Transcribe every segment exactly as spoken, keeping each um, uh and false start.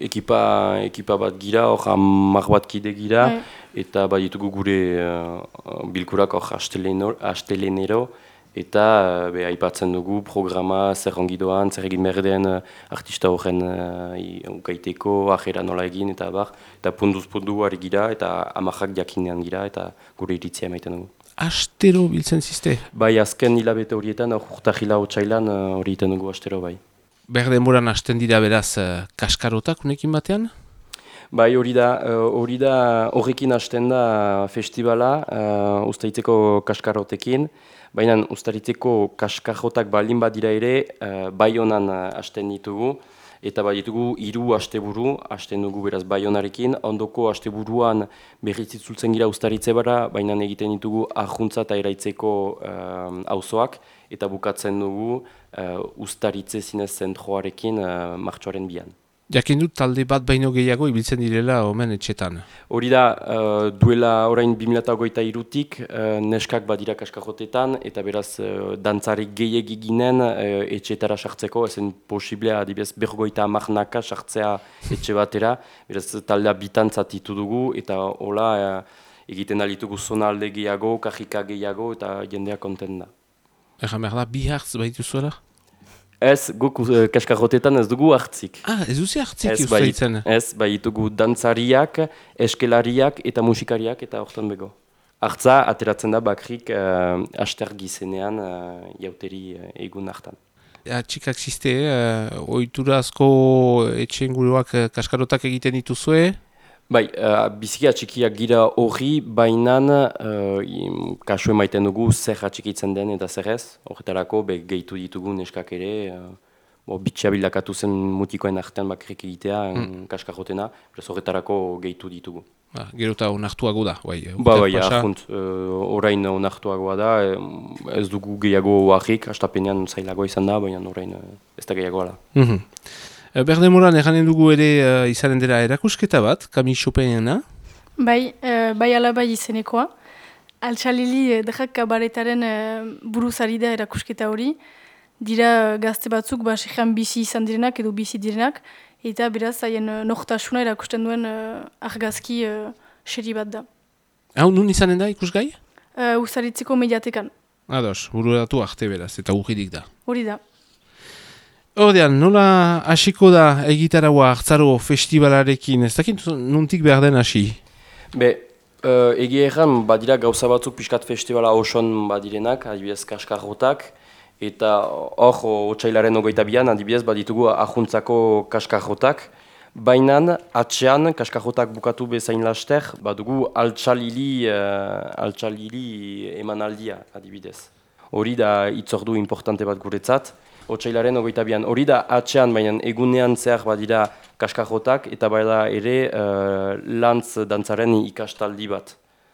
Ekipa, ekipa bat gira, hor hamar bat kide gira, bai. Eta bai ditugu gure uh, bilkurak hor astelenero, eta uh, be, aipatzen dugu programa zer ongi doan, zer egin behar den uh, artista horren uh, ukaiteko, ajera nola egin, eta bar, eta punduz pundu ari gira, eta amarrak jakinean gira, eta gure iritzia emaiten dugu. Astero biltzen ziste? Bai, azken hilabete horietan, urtahila hotxailan hori uh, iten dugu astero bai. Behar denboran hasten dira beraz uh, kaskarotak unekin batean? Bai, hori da, hori uh, da, horrekin hasten da festivala, uh, ustaritzeko kaskarotekin, baina ustaritzeko kaskarotak baldin badira ere, uh, bai honan hasten ditugu, eta bai ditugu hiru asteburu, hasten dugu beraz bai honarekin, ondoko asteburuan berriz itzultzen gira ustaritze bara, baina egiten ditugu ahuntza eta eraitzeko auzoak, eta bukatzen dugu uh, ustaritze zinez zentroarekin uh, martxoaren bian. Jakin dut talde bat baino gehiago ibiltzen direla omen etxetan. Hori da, uh, duela orain bi mila hogeita hirutik uh, neskak badira kaskajotetan, eta beraz uh, dantzarik gehiegi ginen uh, etxetara sartzeko, ezen posiblea adibidez bergoita amarnaka sartzea etxe batera, beraz taldea bitantzatitu dugu, eta hola uh, egiten alitugu zona alde gehiago, kajika gehiago, eta jendea konten da. Egan behar da, bi hartz baitu zuela? Ez, guk uh, kaskajotetan ez dugu hartzik. Ah, ez duzi hartzik ustaitzen? Ez, bai ditugu dantzariak, eskelariak eta musikariak eta hortan bego. Hartza, ateratzen da bakrik uh, aster gizenean uh, jauteri uh, egun hartan. Ja, txikak ziste, uh, oiturazko etxenguruak uh, kaskarotak egiten dituzue? Bai, uh, bizikia txikiak gira horri, bainan uh, kasu emaiten dugu zer atxikitzen den eta zer ez. Horretarako be, gehitu ditugu neskak ere, uh, bitxea bildakatu zen mutikoen artean bakrik egitea mm. kaskarotena, horretarako gehitu ditugu. Ah, gero eta onartuago da, bai. Ba, bai, ahunt, uh, orain onartuagoa da, ez dugu gehiago harrik, astapenean zailagoa izan da, baina orain uh, ez da gehiagoa da. Mm-hmm. Berdemoran eganen dugu ere uh, izanen dela erakusketa bat, Camille Chopinena? Bai, uh, bai alabai izenekoa. Altxalili uh, dejak kabaretaren uh, buruzari da erakusketa hori. Dira gazte batzuk, ba, sejan bizi izan direnak edo bizi direnak, eta beraz, haien uh, nortasuna erakusten duen uh, argazki uh, seri bat da. Hau, nun izanen da ikusgai? Uh, Uzaritzeko mediatekan. Ados, bururatu arte beraz, eta urridik da. Hori da. Ordean, nola hasiko da egitaraua hartzaro festivalarekin, ez dakit nuntik behar den hasi? Be, uh, egia erran, badira gauza batzuk pixkat festivala oson badirenak, adibidez kaskarrotak, eta hor, otsailaren ogeita bian, adibidez, baditugu ahuntzako kaskarrotak, bainan, atxean, kaskarrotak bukatu bezain laster, badugu altxalili, uh, altxalili emanaldia, adibidez. Hori da itzordu importante bat guretzat, otsailaren ogeita bian. Hori da atxean, baina egunean zehar badira kaskarrotak, eta bada ere uh, lantz dantzaren ikastaldi bat.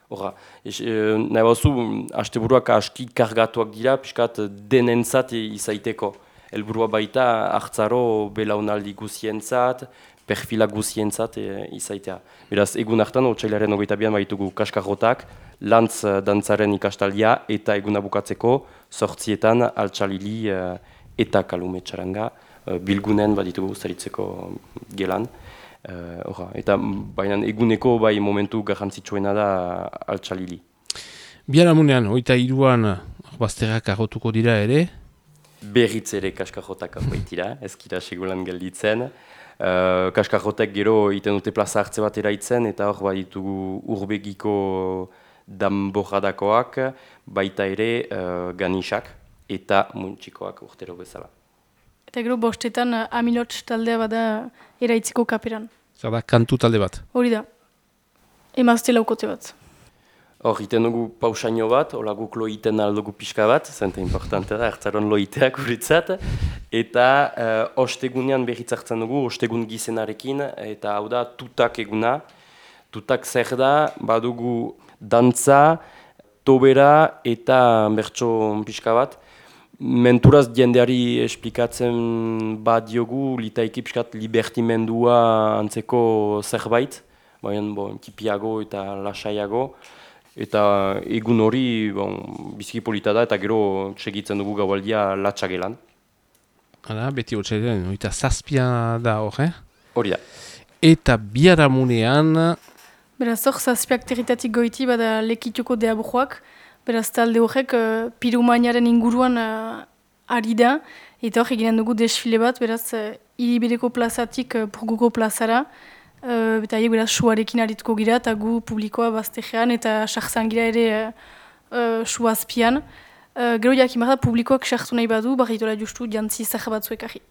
Horra, e, nahi bazu, asteburuak aski kargatuak dira, piskat denentzat izaiteko. Helburua baita hartzaro belaunaldi guzientzat, perfila guzientzat e, izaitea. Beraz, egun hartan, otsailaren ogeita bian baitugu kaskarrotak, lantz dantzaren ikastaldia, eta eguna bukatzeko, sortzietan altxalili uh, eta kalume txaranga, uh, bilgunen baditugu zaritzeko gelan. Uh, orra, eta baina eguneko bai momentu garrantzitsuena da altxalili. Biharamunean, oita hiruan bazterrak arrotuko dira ere? Berriz ere kaskarrotak baitira, ezkira segulan gelditzen. Uh, kaskarrotek gero iten dute plaza hartze bat eraitzen, eta hor baditugu urbegiko danborradakoak, baita ere uh, ganisak eta muntxikoak urtero bezala. Eta gero bostetan uh, Amilots taldea bada eraitziko kaperan. Zer da, kantu talde bat? Hori da. Emazte laukote bat. Hor, iten dugu pausaino bat, hola guk loiten aldugu pixka bat, zenta importante da, hartzaron loiteak uritzat, eta uh, ostegunean berriz hartzen dugu, ostegun gizenarekin, eta hau da tutak eguna. Tutak zer da, badugu dantza, tobera eta bertso pixka bat. Menturaz jendeari esplikatzen badiogu, litaiki pixkat libertimendua antzeko zerbait, baina bon, tipiago eta lasaiago. Eta egun hori bon, biziki polita da eta gero segitzen dugu gaualdia latxagelan. Hala, beti hotxailean, oita zazpia da hor, eh? Hori da. eta biharamunean... Beraz, hor, zazpiak territatik goiti, bada lekituko deabujoak, beraz, talde horrek uh, pirumainaren inguruan uh, ari da, eta hor, eginen dugu desfile bat, beraz, uh, Iribideko plazatik uh, Purguko plazara, uh, eta haiek beraz, suarekin arituko gira, eta gu publikoa baztegean, eta sartzan gira ere uh, uh, suazpian. Uh, gero jakin da, publikoak sartu nahi badu, barritola justu jantzi zahar batzuek ahi.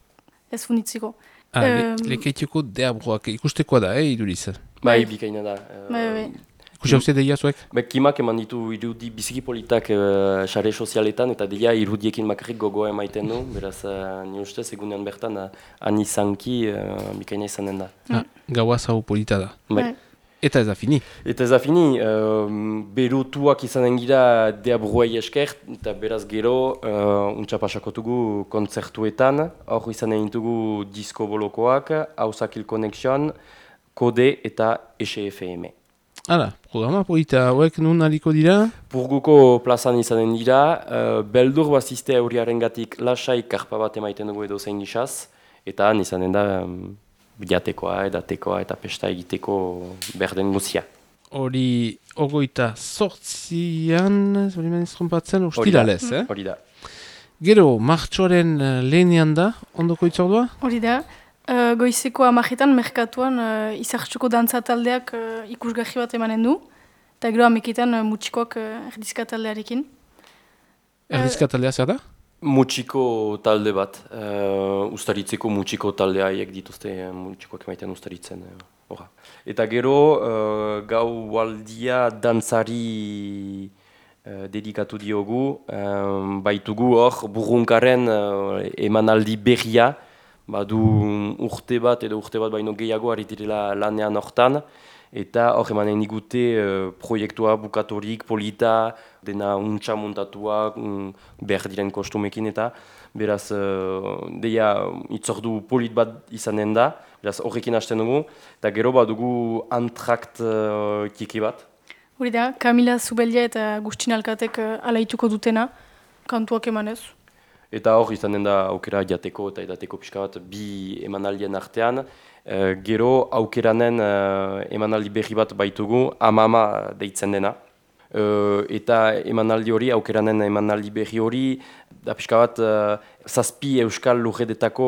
Ez funditziko. Ah, le, Um, lekeituko deabroak ikustekoa da, eh, iduriz? Bai, Bai. bikaina da. Bai, bai. Ikusi hau deia zuek? Be, kimak eman ditu irudi biziki politak uh, sare sozialetan, eta deia irudiekin makarrik gogoa emaiten du, beraz, uh, ni ustez egunean bertan, uh, anizanki uh, bikaina izanen da. Ah, gaua zau polita da. Bai. Eta ez da fini. Eta ez da fini, uh, berutuak izanen gira deabruai esker, eta beraz gero, uh, untsa pasakotugu kontzertuetan, hor izanen ditugu disko bolokoak, Hausakil Connection, Kode eta S F M. Hala, programa polita hauek nun aliko dira? Purguko plazan izanen dira, uh, beldur bazizte aurriaren gatik lasai karpa bat emaiten dugu edo zein gizaz, eta han izanen da um, jatekoa, edatekoa eta pesta egiteko berden guzia. Hori ogoita sortzian, hori maniz trompatzen, ustiralez, eh? Hori da. Gero, martxoaren uh, lehenean da, ondoko itzordua? Hori da. Uh, goizeko amajetan, merkatuan, uh, izartxuko dantza taldeak uh, ikusgarri bat emanen du. Eta gero ameketan uh, mutxikoak uh, erdizka taldearekin. Erdizka taldea zer da? Mutxiko talde bat, uh, ustaritzeko mutxiko taldea haiek dituzte, uh, mutxikoak emaiten ustaritzen. Uh, Eta gero, uh, gau aldia dantzari uh, dedikatu diogu, um, baitugu hor burrunkaren uh, emanaldi berria, badu urte bat edo urte bat baino gehiago aritirela lanean hortan, eta hor emanen digute uh, proiektua bukatorik, polita, dena untxa montatua, um, behar diren kostumekin eta beraz, uh, deia itzordu polit bat izanen da, beraz horrekin hasten dugu, eta gero badugu antrakt uh, tiki bat. Hori da, Kamila Zubeldia eta Agustin Alkatek uh, alaituko dutena, kantuak emanez. Eta hor izanen da aukera jateko eta edateko pixka bat bi emanaldien artean. Uh, gero aukeranen uh, emanaldi berri bat baitugu, Amama deitzen dena. Uh, eta emanaldi hori, aukeranen emanaldi berri hori, da pixka bat uh, zazpi euskal lurredetako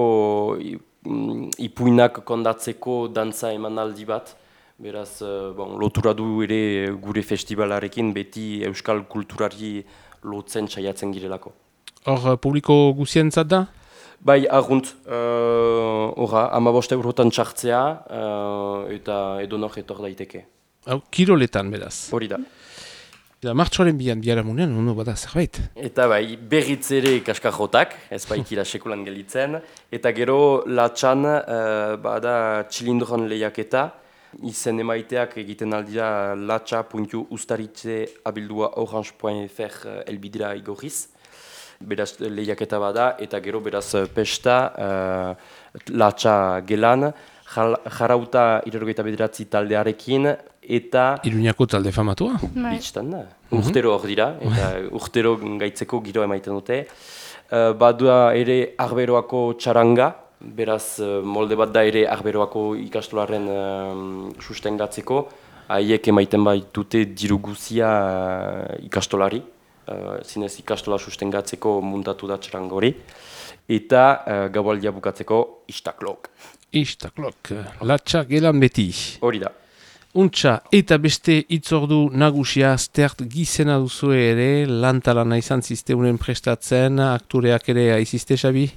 um, ipuinak kondatzeko dantza emanaldi bat. Beraz, uh, bon, lotura du ere gure festivalarekin beti euskal kulturari lotzen saiatzen girelako. Hor, publiko guzientzat da? Bai, argunt, horra, uh, amaboste eurotan txartzea uh, eta edonor etor daiteke. Hau, kiroletan beraz. Hori da. Da, martxoaren bian, biharamunean, ondo bada zerbait. Eta bai, berriz ere kaskajotak, ez baikira sekulan gelitzen. Eta gero, latxan, uh, bada txilindron lehiaketa, izen emaiteak egiten aldira latxa puntu ustaritze abildua orange puntu f r elbidira igorriz. Beraz lehiaketa bada, eta gero beraz pesta, uh, latxa gelan, jarauta irrogeita bederatzi taldearekin, eta... Iruñako talde famatua? Bitxtan da. Urtero hor dira, eta urtero gaitzeko giro emaiten dute. Uh, badua ere Arberoako txaranga, beraz molde bat da ere Arberoako ikastolaren uh, sustengatzeko, haiek emaiten baitute diru guzia uh, ikastolari. Uh, zinez ikastola sustengatzeko muntatu da txaranga hori, eta uh, gaualdia bukatzeko istaklok. Istaklok, latxa gelan beti. Hori da. Untxa, eta beste itzordu nagusia stert gizena duzu ere, lantalana izan zisteunen prestatzen, aktoreak ere aizizte, Xabi?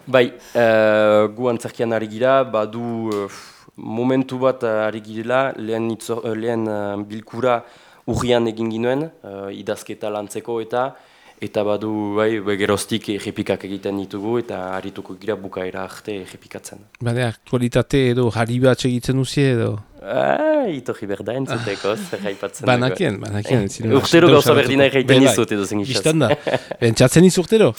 Bai, uh, gu antzerkian ari gira, badu uh, momentu bat uh, ari girela, lehen, itzor, uh, lehen uh, bilkura urrian egin ginuen, uh, idazketa lantzeko eta eta badu bai, geroztik errepikak egiten ditugu eta harituko gira bukaera arte errepikatzen. Bade, aktualitate edo harri bat egiten duzie edo? Ah, itorri berda entzuteko, zer haipatzen. Banakien, banakien. Urtero gauza berdina erraiten izut edo zen gizaz. Bistan da, bentsatzen iz urtero.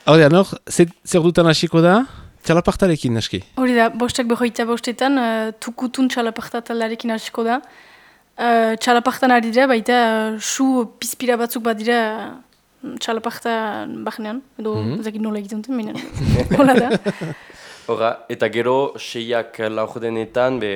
Hau da, nor, zer dutan hasiko da? Txalapartarekin, naski? Hori da, bostak behoita bostetan, uh, tukutun txalaparta taldearekin hasiko da. Uh, txalapartan ari dira, baita uh, su pizpira batzuk bat dira uh, txalaparta bahnean, edo mm -hmm. ezakit nola egiten duten, minen, hola da. Horra, eta gero, seiak laurdenetan be,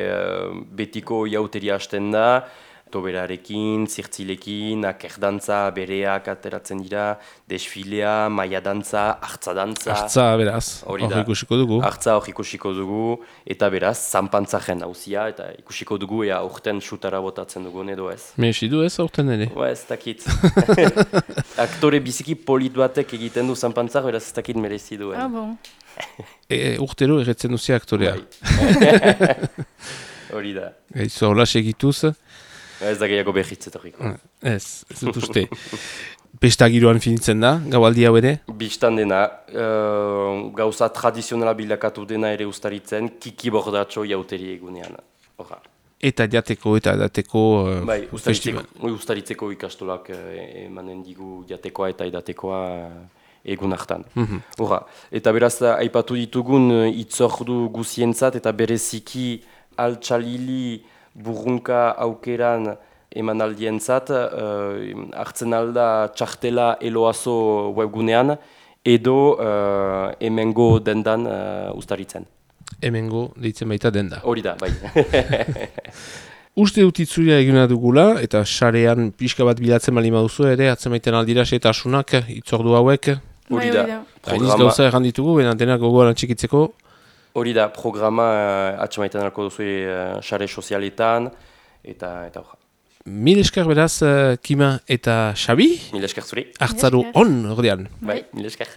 betiko jauteria hasten da, toberarekin, zirtzilekin, akerdantza, bereak ateratzen dira, desfilea, maia dantza, hartza dantza. Hartza, beraz, hori ikusiko dugu. Hartza hori ikusiko dugu, eta beraz, zanpantzaren hauzia, eta ikusiko dugu, ea urten xutara botatzen dugun edo ez. Mesi du ez urten ere? Ba, ez dakit. Aktore biziki polit batek egiten du zanpantzak, beraz ez dakit merezi duen. Ah, bon. E, urtero erretzen duzia aktorea. Hori da. Gaizu, hola segituz. Ez da gehiago behitzetoriko. Ez, ez dut uste. Pesta giroan finitzen da, gaualdi hau ere? Bistan dena, uh, gauza tradizionala bilakatu dena ere ustaritzen, kiki bordatxo jauteri egunean. Horra. Eta jateko eta edateko uh, bai, festival. Bai, ustaritzeko ikastolak uh, emanen digu jatekoa eta edatekoa uh, egun hartan. Mm-hmm. Horra. Eta beraz, aipatu ditugun uh, itzordu guzientzat eta bereziki altxalili burrunka aukeran emanaldientzat, uh, hartzen alda txartela eloazo webgunean, edo uh, hemengo dendan uh, ustaritzen. Hemengo deitzen baita denda. Hori da, bai. Uste dut itzulia egina dugula, eta sarean pixka bat bilatzen bali maduzu ere, atzen maiten aldira setasunak, itzordu hauek. Hori da. Hainiz gauza erran ditugu, bena denak gogoan txikitzeko. Hori da, programa uh, atxamaiten alko duzu sare uh, sozialetan, eta eta hori. Mil esker beraz, uh, Kima eta Xabi? Mil esker zuri. Hartzaru on, ordean. Bai, mil esker.